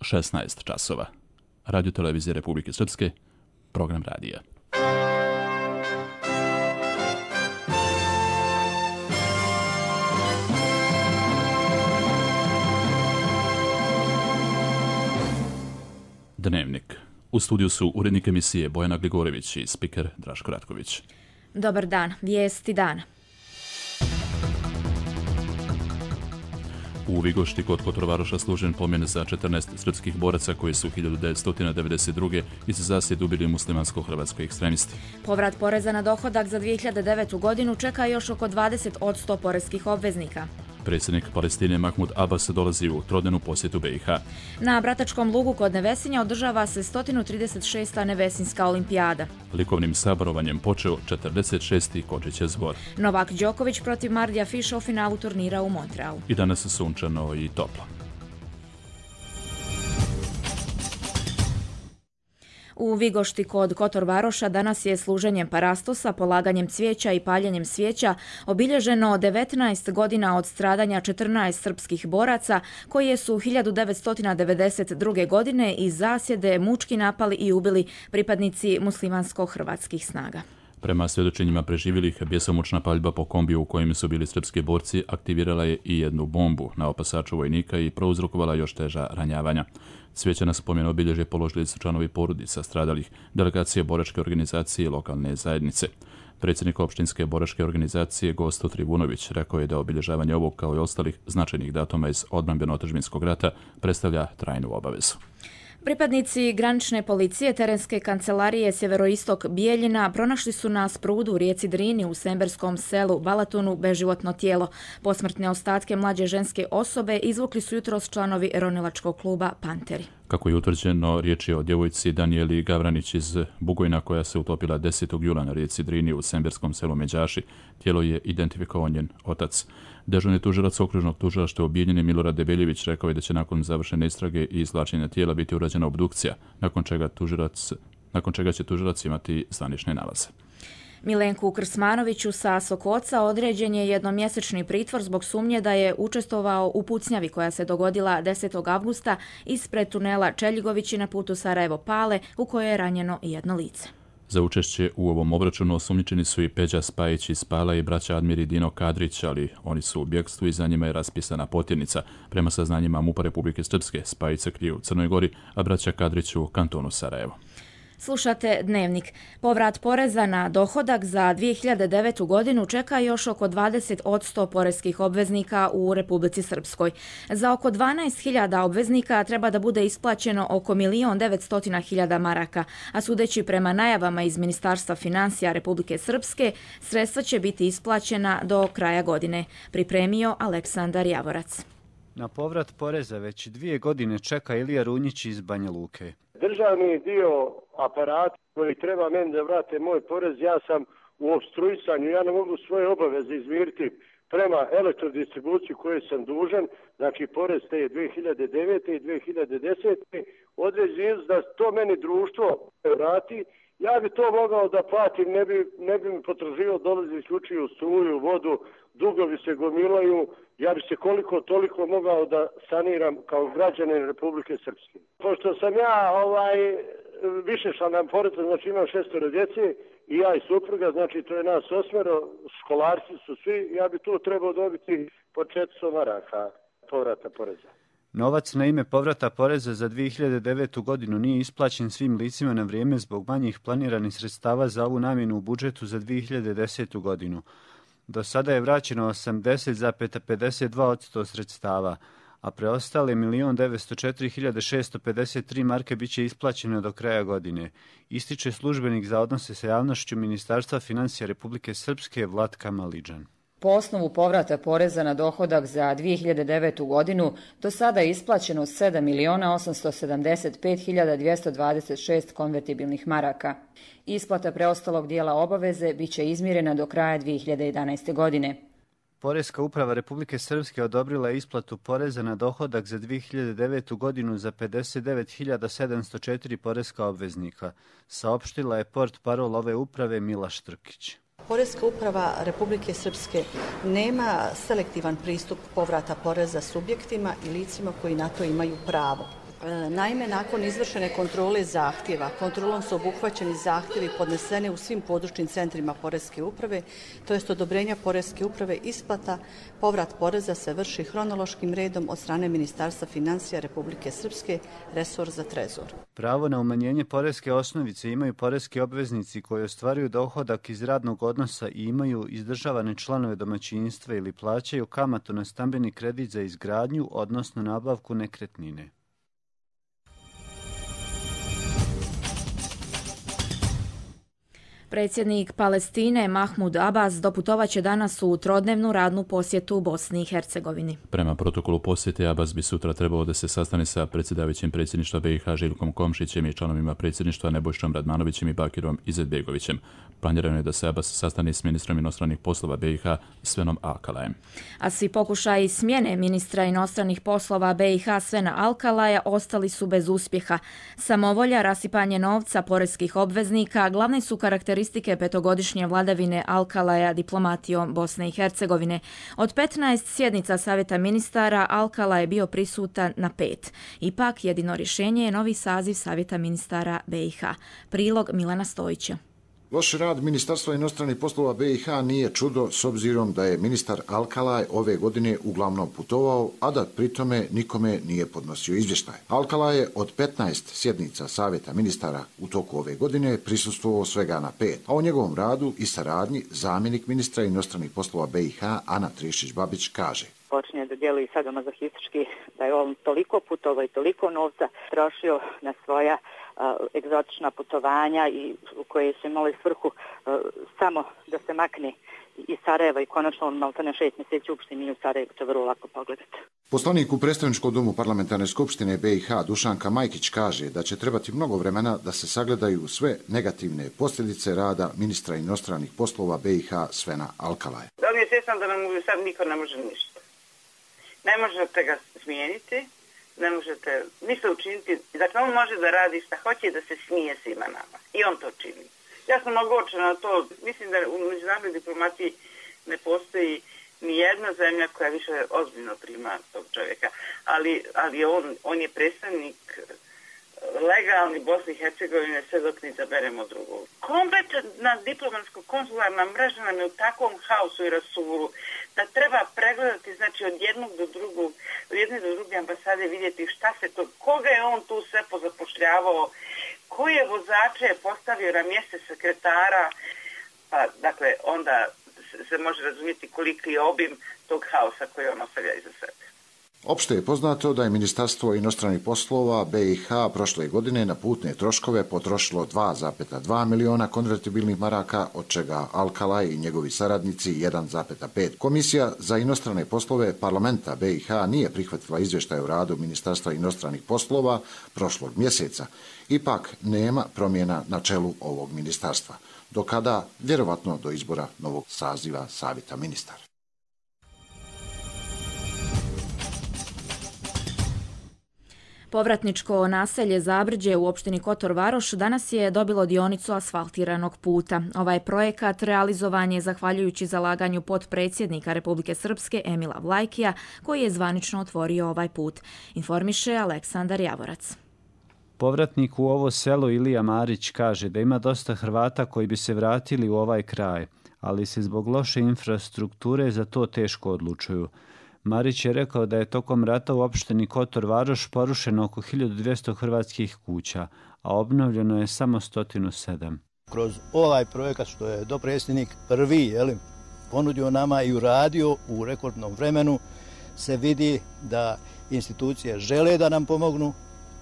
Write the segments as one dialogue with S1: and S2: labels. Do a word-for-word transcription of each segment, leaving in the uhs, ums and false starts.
S1: šesnaest časova. Radio televizije Republike Srpske, program radija. Dnevnik. U studiju su urednik emisije Bojana Gligorević i spiker Draško Ratković.
S2: Dobar dan, vijesti dana.
S1: U Vigošti kod Kotorvaroša služen pomen za četrnaest srpskih boraca koji su hiljadu devetsto devedeset druge iz zasjede ubili muslimansko-hrvatski ekstremisti.
S2: Povrat poreza na dohodak za dvije hiljade devetu godinu čeka još oko dvadeset posto poreskih obveznika.
S1: Predsjednik Palestine Mahmud Abbas dolazi u trodnevnu posjetu B i H.
S2: Na Bratačkom lugu kod Nevesinja održava se sto trideset šesta Nevesinjska olimpijada.
S1: Likovnim saborovanjem počeo četrdeset šesti Kočićev zbor.
S2: Novak Đoković protiv Mardija Fiša u finalu turnira u Montrealu.
S1: I danas sunčano i toplo.
S2: U Vigošti kod Kotorvaroša danas je služenjem parastosa, polaganjem cvijeća i paljenjem svijeća obilježeno devetnaest godina od stradanja četrnaest srpskih boraca koje su hiljadu devetsto devedeset druge. godine iz zasjede mučki napali i ubili pripadnici muslimansko-hrvatskih snaga.
S1: Prema svjedočenjima preživjelih, bjesomučna paljba po kombiju u kojem su bili srpski borci aktivirala je i jednu bombu na opasaču vojnika i prouzrokovala još teža ranjavanja. Cvijeća na spomen obilježje položili su članovi porodica stradalih, delegacije boračke organizacije i lokalne zajednice. Predsjednik opštinske boračke organizacije Gosto Trivunović rekao je da obilježavanje ovog kao i ostalih značajnih datuma iz odbrambeno-otadžbinskog rata predstavlja trajnu obavezu.
S2: Pripadnici granične policije terenske kancelarije Sjeveroistok Bijeljina pronašli su na sprudu u rijeci Drini u semberskom selu Balatonu beživotno tijelo. Posmrtne ostatke mlađe ženske osobe izvukli su jutros članovi ronilačkog kluba Panteri.
S1: Kako je utvrđeno, riječ je o djevojci Danijeli Gavranić iz Bugojna koja se utopila desetog jula na rijeci Drini u semberskom selu Međaši. Tijelo je identifikovao njen otac. Dežurni tužilac okružnog tužilaštva u Bijeljini Milorad Debeljević rekao je da će nakon završene istrage i izvlačenja tijela biti urađena obdukcija, nakon čega, tužilac, nakon čega će tužilac imati zvanične nalaze.
S2: Milenku Krsmanoviću sa Sokoca određen je jednomjesečni pritvor zbog sumnje da je učestvovao u pucnjavi koja se dogodila desetog avgusta ispred tunela Čeljigovići na putu Sarajevo-Pale u kojoj je ranjeno jedno lice.
S1: Za učešće u ovom obračunu osumnjičeni su i Peđa Spajić iz Pala i braća Admir i Dino Kadrić, ali oni su u bjegstvu i za njima je raspisana potjernica. Prema saznanjima MUP-a Republike Srpske, Spajić se krije u Crnoj Gori, a braća Kadrić u kantonu Sarajevo.
S2: Slušate Dnevnik. Povrat poreza na dohodak za dvije hiljade devetu. godinu čeka još oko dvadeset posto poreskih obveznika u Republici Srpskoj. Za oko dvanaest hiljada obveznika treba da bude isplaćeno oko milion devetsto hiljada maraka, a sudeći prema najavama iz Ministarstva financija Republike Srpske, sredstva će biti isplaćena do kraja godine. Pripremio Aleksandar Javorac.
S3: Na povrat poreza već dvije godine čeka Ilija Runjić iz Banja Luke.
S4: Državni dio aparata koji treba meni da vrate moj porez, ja sam u opstruisanju, ja ne mogu svoje obaveze izmiriti prema elektrodistribuciji koje sam dužan, znači porez te dvije hiljade devete. i dvije hiljade desete. određen da to meni društvo vrati, ja bi to mogao da platim, ne bi, ne bi mi potraživao dolazi isključuju struju, vodu, dugovi se gomilaju, ja bi se koliko toliko mogao da saniram kao građanin Republike Srpske. Pošto sam ja ovaj više članan porodica, znači imam šestoro djece i ja i supruga, znači to je nas osmero, školarci su svi, ja bi tu trebao dobiti po četiristo maraka povrata poreza.
S3: Novac na ime povrata poreza za dvije hiljade devetu. godinu nije isplaćen svim licima na vrijeme zbog manjih planiranih sredstava za ovu namjenu u budžetu za dvije hiljade desetu. godinu. Do sada je vraćeno osamdeset zarez pedeset dva posto sredstava, a preostale milion devetsto četiri hiljade šesto pedeset tri marke bit će isplaćene do kraja godine, ističe službenik za odnose sa javnošću Ministarstva financija Republike Srpske Vlatka Maliđan.
S5: Po osnovu povrata poreza na dohodak za dvije hiljade devetu. godinu do sada je isplaćeno sedam miliona osamsto sedamdeset pet hiljada dvjesto dvadeset šest konvertibilnih maraka. Isplata preostalog dijela obaveze bit će izmirena do kraja dvije hiljade jedanaeste. godine.
S3: Poreska uprava Republike Srpske odobrila je isplatu poreza na dohodak za dvije hiljade devetu. godinu za pedeset devet hiljada sedamsto četiri poreska obveznika, saopštila je portparol ove uprave Milaš Trkić.
S6: Poreska uprava Republike Srpske nema selektivan pristup povrata poreza subjektima i licima koji na to imaju pravo. Naime, nakon izvršene kontrole zahtjeva, kontrolom su obuhvaćeni zahtjevi podneseni u svim područnim centrima Poreske uprave, to jest odobrenja Poreske uprave, isplata, povrat poreza se vrši hronološkim redom od strane Ministarstva financija Republike Srpske, resor za trezor.
S3: Pravo na umanjenje poreske osnovice imaju poreski obveznici koji ostvaruju dohodak iz radnog odnosa i imaju izdržavane članove domaćinstva ili plaćaju kamatu na stambeni kredit za izgradnju, odnosno nabavku nekretnine.
S2: Predsjednik Palestine Mahmud Abbas doputovaće danas u trodnevnu radnu posjetu u Bosni i Hercegovini.
S1: Prema protokolu posjete Abbas bi sutra trebao da se sastane sa predsjedavajućim predsjedništva B i H Željkom Komšićem i članovima predsjedništva Nebojšom Radmanovićem i Bakirom Izetbegovićem. Planirano je da se Abbas sastane s ministrom inostranih poslova B i H Svenom Alkalajem.
S2: A svi pokušaji smjene ministra inostranih poslova B i H Svena Alkalaja ostali su bez uspjeha. Samovolja, rasipanje novca poreskih obveznika glavne su karakteristike petogodišnje vladavine Alkalaja diplomatijom Bosne i Hercegovine. Od petnaest sjednica Savjeta ministara Alkala je bio prisutan na pet. Ipak jedino rješenje je novi saziv Savjeta ministara B i H. Prilog Milana Stojića.
S7: Loš rad Ministarstva inostranih poslova B i H nije čudo s obzirom da je ministar Alkalaj ove godine uglavnom putovao, a da pritome nikome nije podnosio izvještaj. Alkalaj je od petnaest sjednica Savjeta ministara u toku ove godine prisustvovao svega na pet, a o njegovom radu i saradnji zamjenik ministra inostranih poslova B i H Ana Trišić-Babić kaže:
S8: Počinje da djeluje sadomazohistički, da je on toliko putovao i toliko novca trošio na svoja uh, egzotična putovanja i u koje su imali svrhu uh, samo da se makne iz Sarajeva i konačno on maltene šest mjeseci uopšte nije u Sarajevu, to vrlo lako pogledati.
S7: Poslanik u predstavničkom domu parlamentarne skupštine B i H Dušanka Majkić kaže da će trebati mnogo vremena da se sagledaju sve negativne posljedice rada ministra inostranih poslova B i H Svena Alkalaja.
S9: Da li je svjestan da nam sad niko ne može ništa? Ne možete ga smijeniti, ne možete ništa učiniti. Dakle, on može da radi šta hoće i da se smije svima nama. I on to čini. Ja sam ogorčena na to. Mislim da u međunarodnoj diplomaciji ne postoji ni jedna zemlja koja više ozbiljno prima tog čovjeka. Ali, ali on, on je predstavnik legalni Bosne i Hercegovine sve dok ne izaberemo drugog. Kompletna diplomatsko-konzularna mreža nam je u takvom haosu i rasulu da treba pregledati, znači od jednog do drugog, od jedne do druge ambasade vidjeti šta se to, koga je on tu sve pozapošljavao, koje vozače je postavio na mjeste sekretara, pa dakle onda se može razumjeti koliki je obim tog haosa koji on ostavlja iza sebe.
S7: Opšte je poznato da je Ministarstvo inostranih poslova B i H prošle godine na putne troškove potrošilo dva zarez dva miliona konvertibilnih maraka, od čega Alkalaj i njegovi saradnici jedan zarez pet. Komisija za inostrane poslove parlamenta B i H nije prihvatila izvještaj o radu Ministarstva inostranih poslova prošlog mjeseca. Ipak nema promjena na čelu ovog ministarstva. Do kada? Vjerovatno do izbora novog saziva Savjeta ministara.
S2: Povratničko naselje Zabrđe u opštini Kotor Varoš danas je dobilo dionicu asfaltiranog puta. Ovaj projekat realizovan je zahvaljujući zalaganju potpredsjednika Republike Srpske Emila Vlajkija, koji je zvanično otvorio ovaj put. Informiše Aleksandar Javorac.
S3: Povratnik u ovo selo Ilija Marić kaže da ima dosta Hrvata koji bi se vratili u ovaj kraj, ali se zbog loše infrastrukture za to teško odlučuju. Marić je rekao da je tokom rata u opštini Kotor Varoš porušeno oko hiljadu dvjesto hrvatskih kuća, a obnovljeno je samo sto sedam.
S10: Kroz ovaj projekat što je dopredsjednik prvi jeli, ponudio nama i uradio u rekordnom vremenu, se vidi da institucije žele da nam pomognu.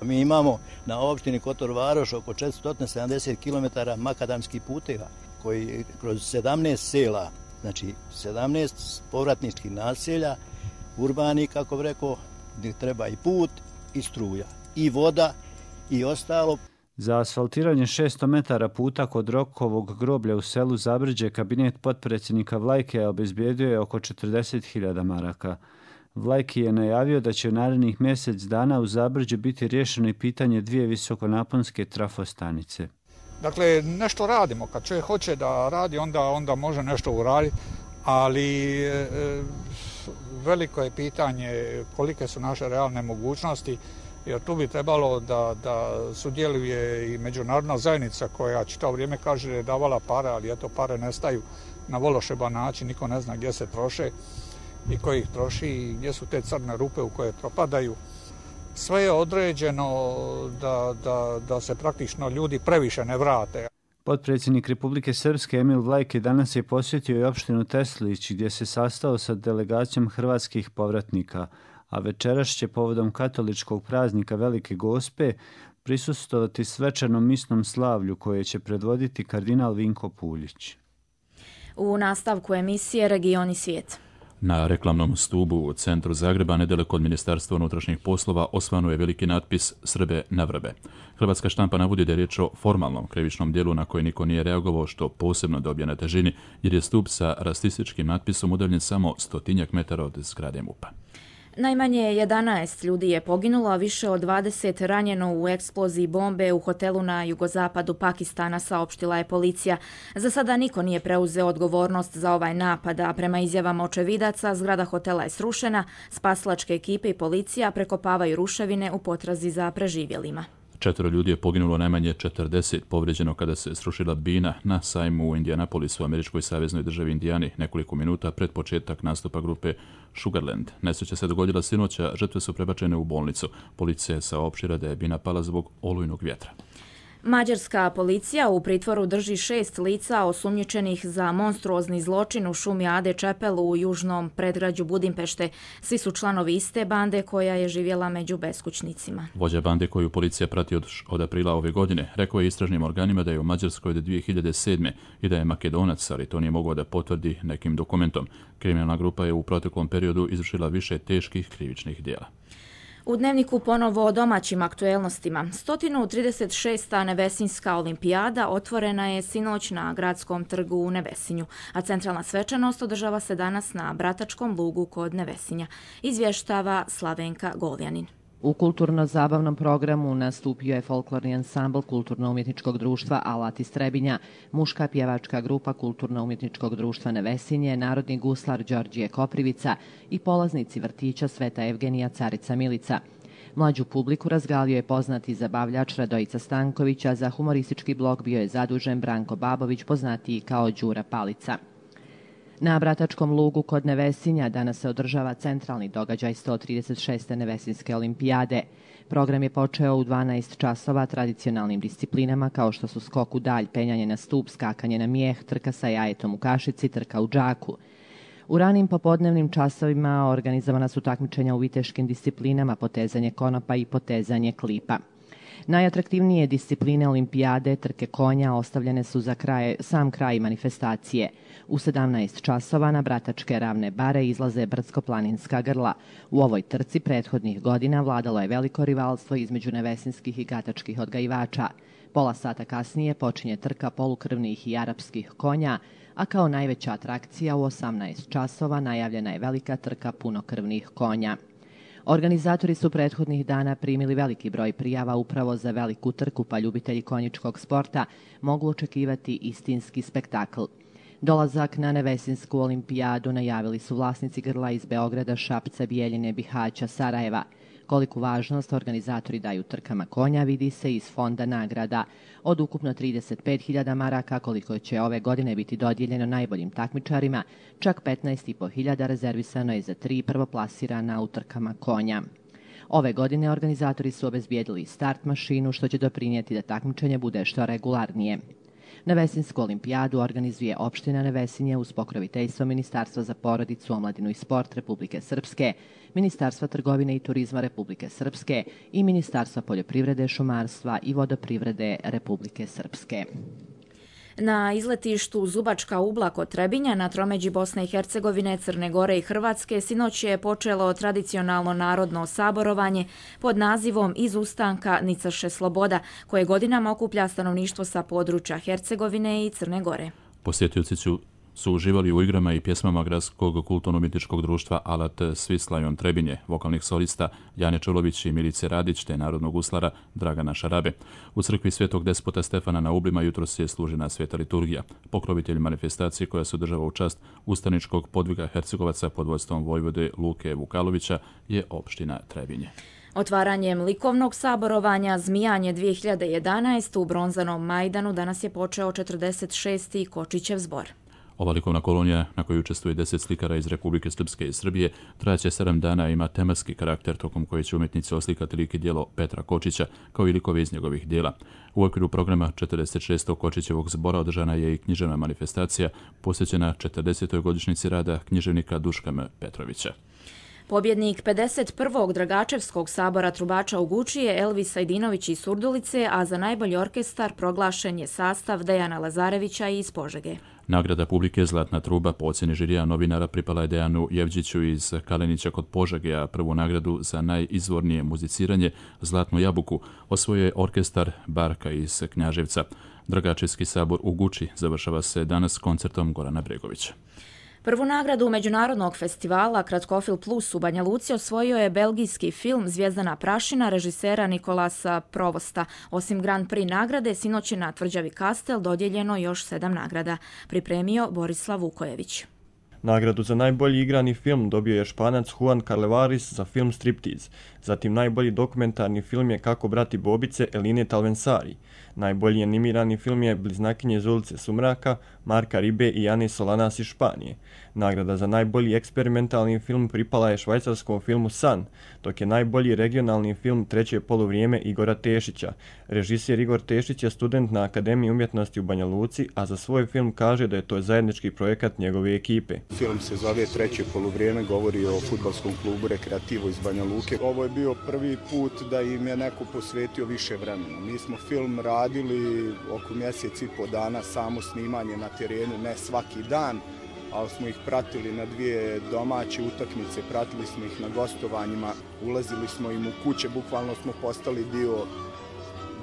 S10: Mi imamo na opštini Kotor Varoš oko četiristo sedamdeset kilometara makadamskih puteva koji kroz sedamnaest sela, znači sedamnaest povratničkih naselja, urbani, kako bi rekao, gdje treba i put, i struja, i voda, i ostalo.
S3: Za asfaltiranje šesto metara puta kod Rokovog groblja u selu Zabrđe kabinet potpredsjednika Vlajke obezbijedio je oko četrdeset hiljada maraka. Vlajki je najavio da će u narednih mjesec dana u Zabrđe biti riješeno i pitanje dvije visokonaponske trafostanice.
S11: Dakle, nešto radimo. Kad čovjek hoće da radi, onda, onda može nešto uraditi, ali e, veliko je pitanje kolike su naše realne mogućnosti jer tu bi trebalo da, da sudjeluje i međunarodna zajednica koja čitavo vrijeme kaže da je davala pare, ali eto pare nestaju na vološeban način, niko ne zna gdje se troše i ko ih troši i gdje su te crne rupe u koje propadaju. Sve je određeno da, da, da se praktično ljudi previše ne vrate.
S3: Potpredsjednik Republike Srpske Emil Vlajke danas je posjetio i opštinu Teslić gdje se sastao sa delegacijom hrvatskih povratnika, a večeras će povodom katoličkog praznika Velike Gospe prisustvovati svečanom misnom slavlju koje će predvoditi kardinal Vinko Puljić.
S2: U nastavku emisije Regioni svijet.
S1: Na reklamnom stubu u centru Zagreba, nedaleko od Ministarstva unutrašnjih poslova, osvano je veliki natpis Srbe na vrbe. Hrvatska štampa navodi da je riječ o formalnom krivičnom djelu na koje niko nije reagovao, što posebno dobije na težini, jer je stup sa rasističkim natpisom udaljen samo stotinjak metara od zgrade MUP-a.
S2: Najmanje jedanaest ljudi je poginulo, a više od dvadeset ranjeno u eksploziji bombe u hotelu na jugozapadu Pakistana, saopštila je policija. Za sada niko nije preuzeo odgovornost za ovaj napad, a prema izjavama očevidaca zgrada hotela je srušena, spasilačke ekipe i policija prekopavaju ruševine u potrazi za preživjelima.
S1: Četvero ljudi je poginulo, najmanje četrdeset povrijeđeno kada se srušila bina na sajmu u Indianapolisu, u američkoj saveznoj državi Indijani, nekoliko minuta pred početak nastupa grupe Sugarland. Nesreća se dogodila sinoća, žrtve su prebačene u bolnicu. Policija je saopštila da je bina pala zbog olujnog vjetra.
S2: Mađarska policija u pritvoru drži šest lica osumnjičenih za monstruozni zločin u šumi Ade Čepel u južnom predgrađu Budimpešte. Svi su članovi iste bande koja je živjela među beskućnicima.
S1: Vođa bande koju policija prati od, od aprila ove godine rekao je istražnim organima da je u Mađarskoj od dvije hiljade sedme i da je Makedonac, ali to nije mogao da potvrdi nekim dokumentom. Kriminalna grupa je u proteklom periodu izvršila više teških krivičnih djela.
S2: U dnevniku ponovo o domaćim aktuelnostima. sto trideset šesta Nevesinjska olimpijada otvorena je sinoć na gradskom trgu u Nevesinju, a centralna svečanost održava se danas na Bratačkom lugu kod Nevesinja, izvještava Slavenka Goljanin.
S12: U kulturno-zabavnom programu nastupio je folklorni ansambl Kulturno-umjetničkog društva Alat iz Trebinja, muška pjevačka grupa Kulturno-umjetničkog društva Nevesinje, narodni guslar Đorđije Koprivica i polaznici vrtića Sveta Evgenija Carica Milica. Mlađu publiku razgalio je poznati zabavljač Radojica Stanković, a za humoristički blok bio je zadužen Branko Babović, poznatiji kao Đura Palica. Na Bratačkom lugu kod Nevesinja danas se održava centralni događaj sto trideset šeste Nevesinjske olimpijade. Program je počeo u dvanaest časova tradicionalnim disciplinama kao što su skok u dalj, penjanje na stup, skakanje na mijeh, trka sa jajetom u kašici, trka u džaku. U ranim popodnevnim časovima organizovana su takmičenja u viteškim disciplinama, potezanje konopa i potezanje klipa. Najatraktivnije discipline olimpijade, trke konja, ostavljene su za kraj, sam kraj manifestacije. U sedamnaest časova na Bratačke ravne bare izlaze brdsko-planinska grla. U ovoj trci prethodnih godina vladalo je veliko rivalstvo između nevesinskih i gatačkih odgajivača. Pola sata kasnije počinje trka polukrvnih i arapskih konja, a kao najveća atrakcija u osamnaest časova najavljena je velika trka punokrvnih konja. Organizatori su prethodnih dana primili veliki broj prijava upravo za veliku trku, pa ljubitelji konjičkog sporta mogu očekivati istinski spektakl. Dolazak na Nevesinsku olimpijadu najavili su vlasnici grla iz Beograda, Šapca, Bijeljine, Bihaća, Sarajeva. Koliku važnost organizatori daju trkama konja vidi se iz fonda nagrada. Od ukupno trideset pet hiljada maraka koliko će ove godine biti dodijeljeno najboljim takmičarima, čak petnaest i po hiljada rezervisano je za tri prvoplasirana u trkama konja. Ove godine organizatori su obezbijedili start mašinu, što će doprinijeti da takmičenje bude što regularnije. Nevesinsku olimpijadu organizuje opština Nevesinje uz pokroviteljstvo Ministarstva za porodicu, omladinu i sport Republike Srpske, Ministarstva trgovine i turizma Republike Srpske i Ministarstva poljoprivrede, šumarstva i vodoprivrede Republike Srpske.
S2: Na izletištu Zubačka Ugla kod Trebinja na tromeđi Bosne i Hercegovine, Crne Gore i Hrvatske sinoć je počelo tradicionalno narodno saborovanje pod nazivom Iz ustanka Nicaše sloboda, koje godinama okuplja stanovništvo sa područja Hercegovine i Crne Gore.
S1: Posjetioci su su uživali u igrama i pjesmama Gradskog kulturno-umjetničkog društva Alat s Vislajon Trebinje, vokalnih solista Jane Čulović i Milice Radić, te narodnog guslara Dragana Šarabe. U crkvi Svetog despota Stefana na Ublima jutros je služena sveta liturgija. Pokrovitelj manifestacije koja se održava u čast ustaničkog podviga Hercegovaca pod vodstvom vojvode Luke Vukalovića je opština Trebinje.
S2: Otvaranjem likovnog saborovanja Zmijanje dvije hiljade jedanaeste u Bronzanom Majdanu danas je počeo četrdeset šesti Kočićev zbor.
S1: Ova likovna kolonija, na kojoj učestvuje deset slikara iz Republike Srpske i Srbije, trajaće sedam dana i ima tematski karakter tokom koje će umjetnici oslikati lik i djelo Petra Kočića, kao i likove iz njegovih djela. U okviru programa četrdeset šestog Kočićevog zbora održana je i književna manifestacija posvećena četrdesetoj godišnjici rada književnika Duška M. Petrovića.
S2: Pobjednik pedeset prvog Dragačevskog sabora trubača u Guči je Elvis Sajdinović iz Surdulice, a za najbolji orkestar proglašen je sastav Dejana Lazarevića iz Požege.
S1: Nagrada publike Zlatna truba po ocjeni žirija novinara pripala je Dejanu Jevđiću iz Kalenića kod Požege, a prvu nagradu za najizvornije muziciranje Zlatnu jabuku osvojio je orkestar Barka iz Knjaževca. Dragačevski sabor u Guči završava se danas koncertom Gorana Bregovića.
S2: Prvu nagradu Međunarodnog festivala Kratkofil Plus u Banja Luci osvojio je belgijski film Zvijezdana prašina režisera Nikolasa Provosta. Osim Grand Prix nagrade, sinoć je na Tvrđavi Kastel dodijeljeno još sedam nagrada. Pripremio Borislav Vukojević.
S13: Nagradu za najbolji igrani film dobio je Španac Juan Carlevaris za film Striptease. Zatim najbolji dokumentarni film je Kako brati Bobice Eline Talvensari. Najbolji animirani film je Bliznakinje iz ulice Sumraka, Marka Ribe i Ane Solanas iz Španije. Nagrada za najbolji eksperimentalni film pripala je švajcarskom filmu San, dok je najbolji regionalni film Treće poluvrijeme Igora Tešića. Režisir Igor Tešić je student na Akademiji umjetnosti u Banja Luci, a za svoj film kaže da je to zajednički projekat njegove ekipe.
S14: Film se zove Treće poluvrijeme, govori o fudbalskom klubu Rekreativo iz Banja Luke. Ovo je bio prvi put da im je neko posvetio više vremena. Mi smo film radili oko mjesec i po dana, samo snimanje na terenu, ne svaki dan, ali smo ih pratili na dvije domaće utakmice, pratili smo ih na gostovanjima, ulazili smo im u kuće, bukvalno smo postali dio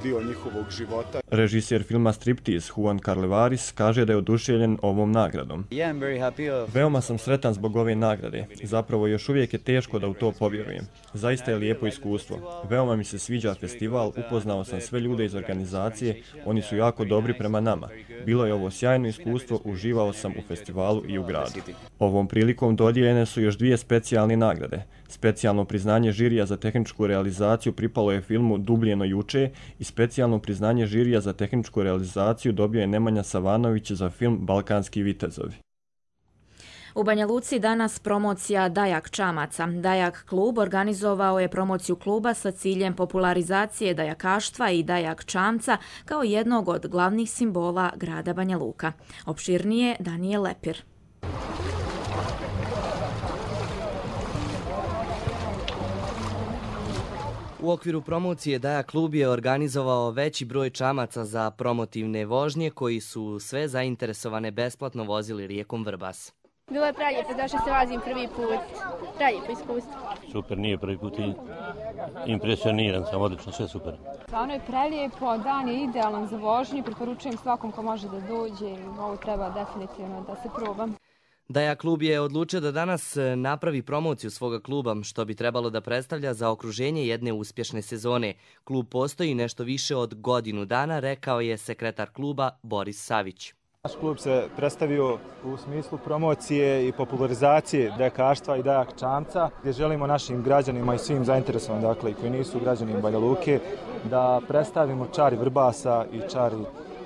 S14: dio njihovog života.
S13: Režisir filma Striptease Juan Carlevaris kaže da je oduševljen ovom nagradom. Veoma sam sretan zbog ove nagrade. Zapravo još uvijek je teško da u to povjerujem. Zaista je lijepo iskustvo. Veoma mi se sviđa festival, upoznao sam sve ljude iz organizacije, oni su jako dobri prema nama. Bilo je ovo sjajno iskustvo, uživao sam u festivalu i u gradu. Ovom prilikom dodijeljene su još dvije specijalne nagrade. Specijalno priznanje žirija za tehničku realizaciju pripalo je filmu Dubljeno juče i specijalno priznanje žirija za tehničku realizaciju dobio je Nemanja Savanović za film Balkanski vitezovi.
S2: U Banja Luci danas promocija Dajak čamaca. Dajak klub organizovao je promociju kluba sa ciljem popularizacije dajakaštva i dajak čamca kao jednog od glavnih simbola grada Banja Luka. Opširnije Danijel Lepir.
S15: U okviru promocije Dajak klub je organizovao veći broj čamaca za promotivne vožnje koji su sve zainteresovane besplatno vozili rijekom Vrbas.
S16: Bilo je preljepo, zašto se vozim prvi put. Preljepo iskustvo.
S17: Super, nije prvi put i impresioniran sam, odlično, sve super.
S16: Stvarno je prelijepo, dan je idealan za vožnju, preporučujem svakom ko može da dođe i ovo treba definitivno da se probam.
S15: Dajak klub je odlučio da danas napravi promociju svoga kluba, što bi trebalo da predstavlja za okruženje jedne uspješne sezone. Klub postoji nešto više od godinu dana, rekao je sekretar kluba Boris Savić.
S18: Naš klub se predstavio u smislu promocije i popularizacije dajakaštva i dajak čamca, gdje želimo našim građanima i svim zainteresovanim, dakle i koji nisu građani Banja Luke, da predstavimo čari Vrbasa i čari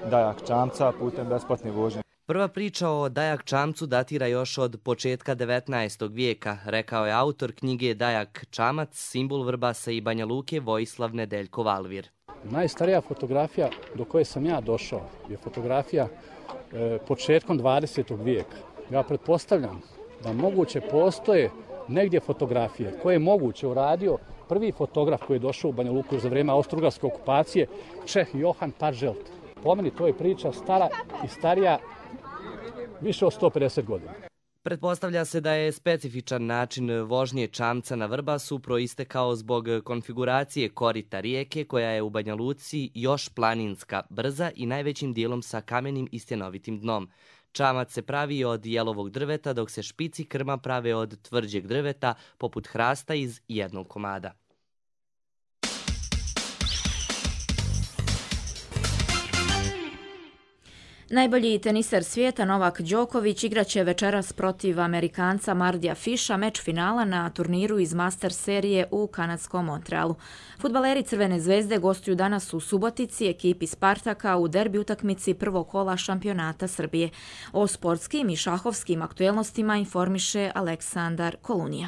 S18: dajak čamca putem besplatne vožnje.
S15: Prva priča o Dajak čamcu datira još od početka devetnaestog vijeka, rekao je autor knjige Dajak čamac, simbol Vrbasa i Banja Luke, Vojislav Nedeljko Valvir.
S19: Najstarija fotografija do koje sam ja došao je fotografija e, početkom dvadesetog vijeka. Ja pretpostavljam da moguće postoje negdje fotografije koje je moguće uradio prvi fotograf koji je došao u Banja Luku za vrijeme austrougarske okupacije, Čeh Johan Parželt. Po meni to je priča stara i starija više od sto pedeset godina.
S15: Pretpostavlja se da je specifičan način vožnje čamca na Vrbasu proistekao zbog konfiguracije korita rijeke koja je u Banja Luci još planinska, brza i najvećim dijelom sa kamenim i stjenovitim dnom. Čamac se pravi od jelovog drveta dok se špici krma prave od tvrđeg drveta poput hrasta iz jednog komada.
S2: Najbolji teniser svijeta Novak Đoković igraće večeras protiv Amerikanca Mardija Fisha meč finala na turniru iz Master serije u kanadskom Montrealu. Fudbaleri Crvene zvezde gostuju danas u Subotici ekipi Spartaka u derbi utakmici prvog kola šampionata Srbije. O sportskim i šahovskim aktuelnostima informiše Aleksandar Kolunija.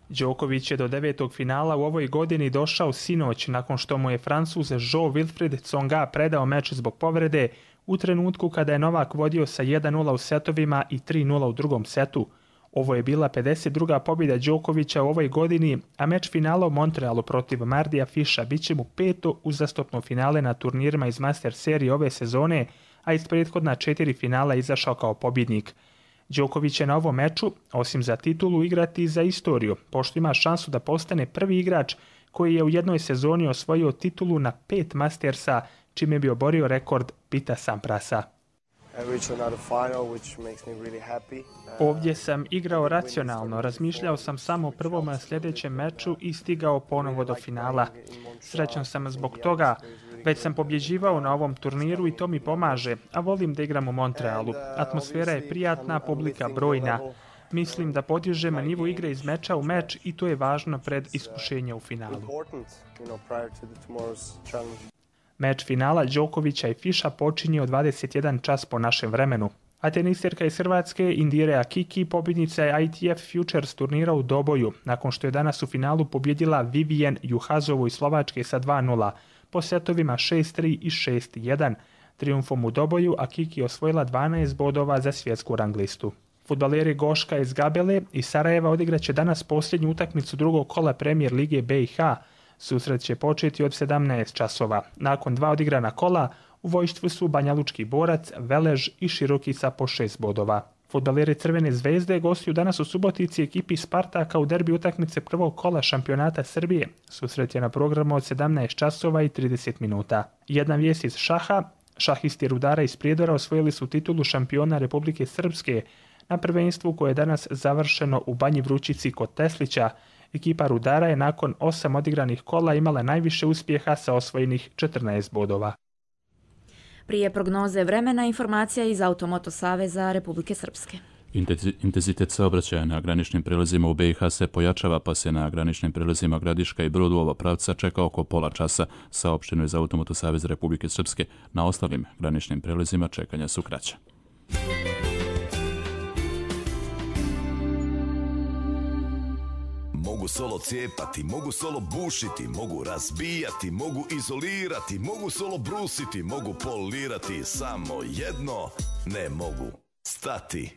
S20: Đoković je do devetog finala u ovoj godini došao sinoć nakon što mu je Francuz Jean-Wilfried Tsonga predao meč zbog povrede u trenutku kada je Novak vodio sa jedan nula u setovima i tri nula u drugom setu. Ovo je bila pedeset druga pobjeda Đokovića u ovoj godini, a meč finala u Montrealu protiv Mardija Fisha bit će mu peto uzastopno finale na turnirima iz Master serije ove sezone, a iz prethodna četiri finala izašao kao pobjednik. Đoković je na ovom meču, osim za titulu, igrati za istoriju, pošto ima šansu da postane prvi igrač koji je u jednoj sezoni osvojio titulu na pet Mastersa, čime bi oborio rekord Pita Samprasa. Ovdje sam igrao racionalno, razmišljao sam samo o prvom sljedećem meču i stigao ponovo do finala. Srećan sam zbog toga. Već sam pobjeđivao na ovom turniru i to mi pomaže, a volim da igram u Montrealu. Atmosfera je prijatna, publika brojna. Mislim da podižem nivo igre iz meča u meč i to je važno pred iskušenje u finalu. Meč finala Đokovića i Fisha počinje u dvadeset jedan čas po našem vremenu. A teniserka iz Hrvatske Indira Kiki pobjednica je I T F Futures turnira u Doboju, nakon što je danas u finalu pobjedila Vivian Juhazovu iz Slovačke sa dva nula, po setovima šest tri i šest jedan. Triumfom u Doboju, a Kiki osvojila dvanaest bodova za svjetsku ranglistu. Fudbaleri Goška iz Gabele i Sarajeva odigraće danas posljednju utakmicu drugog kola Premier lige B i H. Susret će početi od sedamnaest časova. Nakon dva odigrana kola, u vojštvu su Banjalučki Borac, Velež i Širokica po šest bodova. Fudbaleri Crvene zvezde gostuju danas u Subotici ekipi Spartaka u derbi utakmice prvog kola šampionata Srbije. Susret je na programu od sedamnaest časova i trideset minuta. Jedna vijest iz šaha. Šahisti Rudara iz Prijedora osvojili su titulu šampiona Republike Srpske na prvenstvu koje je danas završeno u Banji Vrućici kod Teslića. Ekipa Rudara je nakon osam odigranih kola imala najviše uspjeha sa osvojenih četrnaest bodova.
S2: Prije prognoze vremena informacija iz Automoto Saveza Republike Srpske.
S1: Intenzitet saobraćaja na graničnim prelazima u B i H se pojačava, pa se na graničnim prelazima Gradiška i Brod u oba pravca čeka oko pola časa, saopšteno je za Automoto Saveza Republike Srpske. Na ostalim graničnim prelazima čekanja su kraća.
S21: Mogu solo cijepati, mogu solo bušiti, mogu razbijati, mogu izolirati, mogu solo brusiti, mogu polirati, samo jedno ne mogu stati.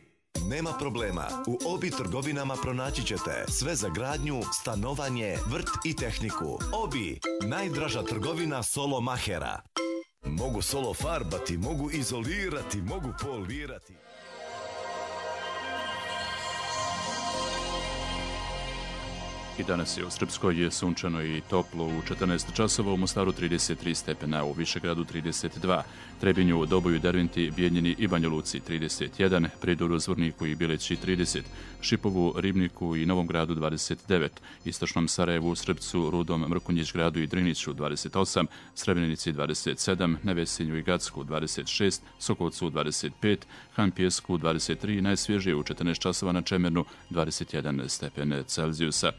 S21: Nema problema, u Obi trgovinama pronaći ćete sve za gradnju, stanovanje, vrt i tehniku. Obi, najdraža trgovina solo mahera. Mogu solo farbati, mogu izolirati, mogu polirati.
S1: I danas je u Srpskoj sunčano i toplo, u četrnaest časova, u Mostaru trideset tri stepena, u Višegradu trideset dva, Trebinju, Doboju, Derventi, Bijeljini i Banja Luci trideset jedan, Prijedoru, Zvorniku i Bileći trideset, Šipovu, Ribniku i Novom Gradu dvadeset devet, Istočnom Sarajevu, Srpcu, Rudom, Mrkonjić Gradu i Driniću dvadeset osam, Srebrenici dvadeset sedam, Nevesinju i Gacku dvadeset šest, Sokolcu dvadeset pet, Han Pjesku dvadeset tri, najsvježije u četrnaest časova na Čemernu dvadeset jedan stepen Celzijusa.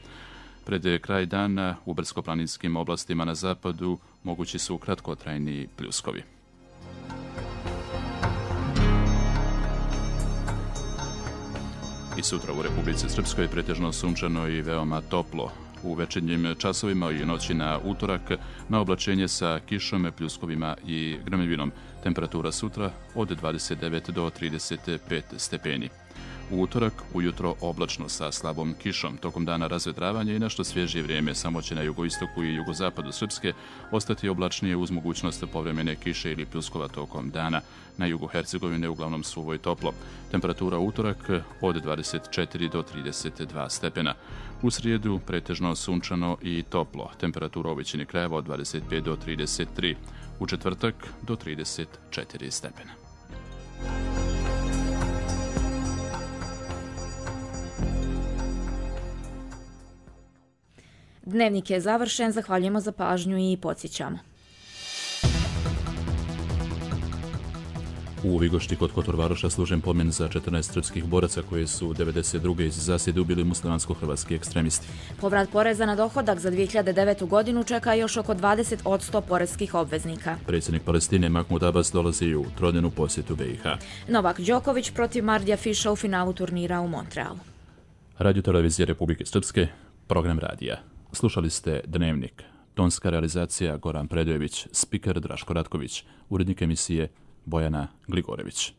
S1: Pred kraj dana u brdsko-planinskim oblastima na zapadu mogući su kratkotrajni pljuskovi. I sutra u Republici Srpskoj pretežno sunčano i veoma toplo. U večernjim časovima i noći na utorak na oblačenje sa kišom, pljuskovima i grmljevinom. Temperatura sutra od dvadeset devet do trideset pet stepeni. U utorak ujutro oblačno sa slabom kišom. Tokom dana razvedravanje i nešto svježije vrijeme, samo će na jugoistoku i jugozapadu Srpske ostati oblačnije uz mogućnost povremene kiše ili pljuskova tokom dana. Na jugu Hercegovine uglavnom suvo i toplo. Temperatura u utorak od dvadeset četiri do trideset dva stepena. U srijedu pretežno sunčano i toplo. Temperatura u većini krajeva od dvadeset pet do trideset tri. U četvrtak do trideset četiri stepena.
S2: Dnevnik je završen, zahvaljujemo za pažnju i podsjećamo.
S1: U Vigošti kod Kotorvaroša služen pomen za četrnaest srpskih boraca koje su devedeset druge iz zasjede ubili muslimansko-hrvatski ekstremisti.
S2: Povrat poreza na dohodak za dvije hiljade devetu godinu čeka još oko dvadeset posto poreskih obveznika.
S1: Predsjednik Palestine Mahmud Abbas dolazi u trodnevnu posjetu B i H.
S2: Novak Đoković protiv Mardija Fiša u finalu turnira u Montrealu.
S1: Radio Televizije Republike Srpske, program radija. Slušali ste Dnevnik. Tonska realizacija Goran Predojević, spiker Draško Ratković, urednik emisije Bojana Gligorević.